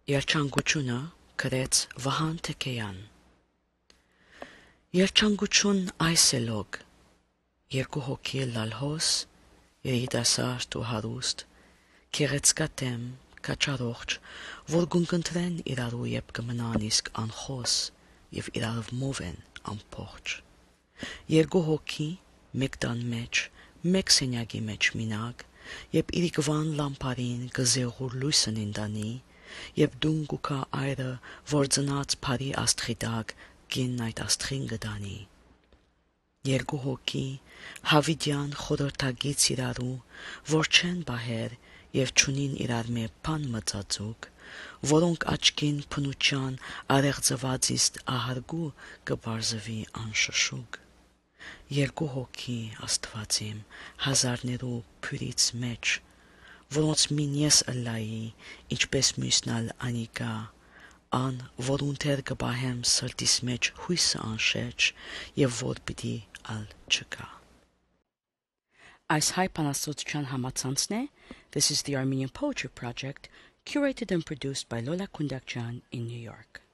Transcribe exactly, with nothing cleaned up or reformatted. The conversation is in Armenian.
Երջանկությունը գրեց Վահան Թեքեյան։ Երջանկություն այս է լոգ, երկու հոգի լալհոս, երիտասարդ ու հարուստ, գեղեցկատեմ, կաչառողջ, որ գունկընտրեն իրարու երբ կմնան իսկ անխոս և իրարով մով են ամփողջ։ Երկու հոգի, մեկ տան մեջ, մեկ սենյակի մեջ մինակ, երբ իրիկվան լամպարին գզեղուր լույսն ինտանի, երբ դուն գուքա այրը, որ ծնած բարի աստղի տակ կինն այդ աստղին գտանի։ Երկու հոգի, հավիտյան խորհրդագից իրարու, որ չեն բահեր և չունին իրար մե բան մծածուկ, որոնք աչքին փնության արեղծվածիստ ահարգու կբարձվի անշշուկ։ Երկու հոգի, Աստված իմ, հազարներու փյուրից մեջ, որոնց մին ես ըլլայի, ինչպես մյուսն ալ անիկա, ան, որուն դեր կպահեմ սրտիս մեջ հույսը անշեջ և որ պիտի ալ չկա։ Այս հայ բանաստեղծության համացանցն է This is the Armenian Poetry Project, curated and produced by Lola Kundakjan in New York.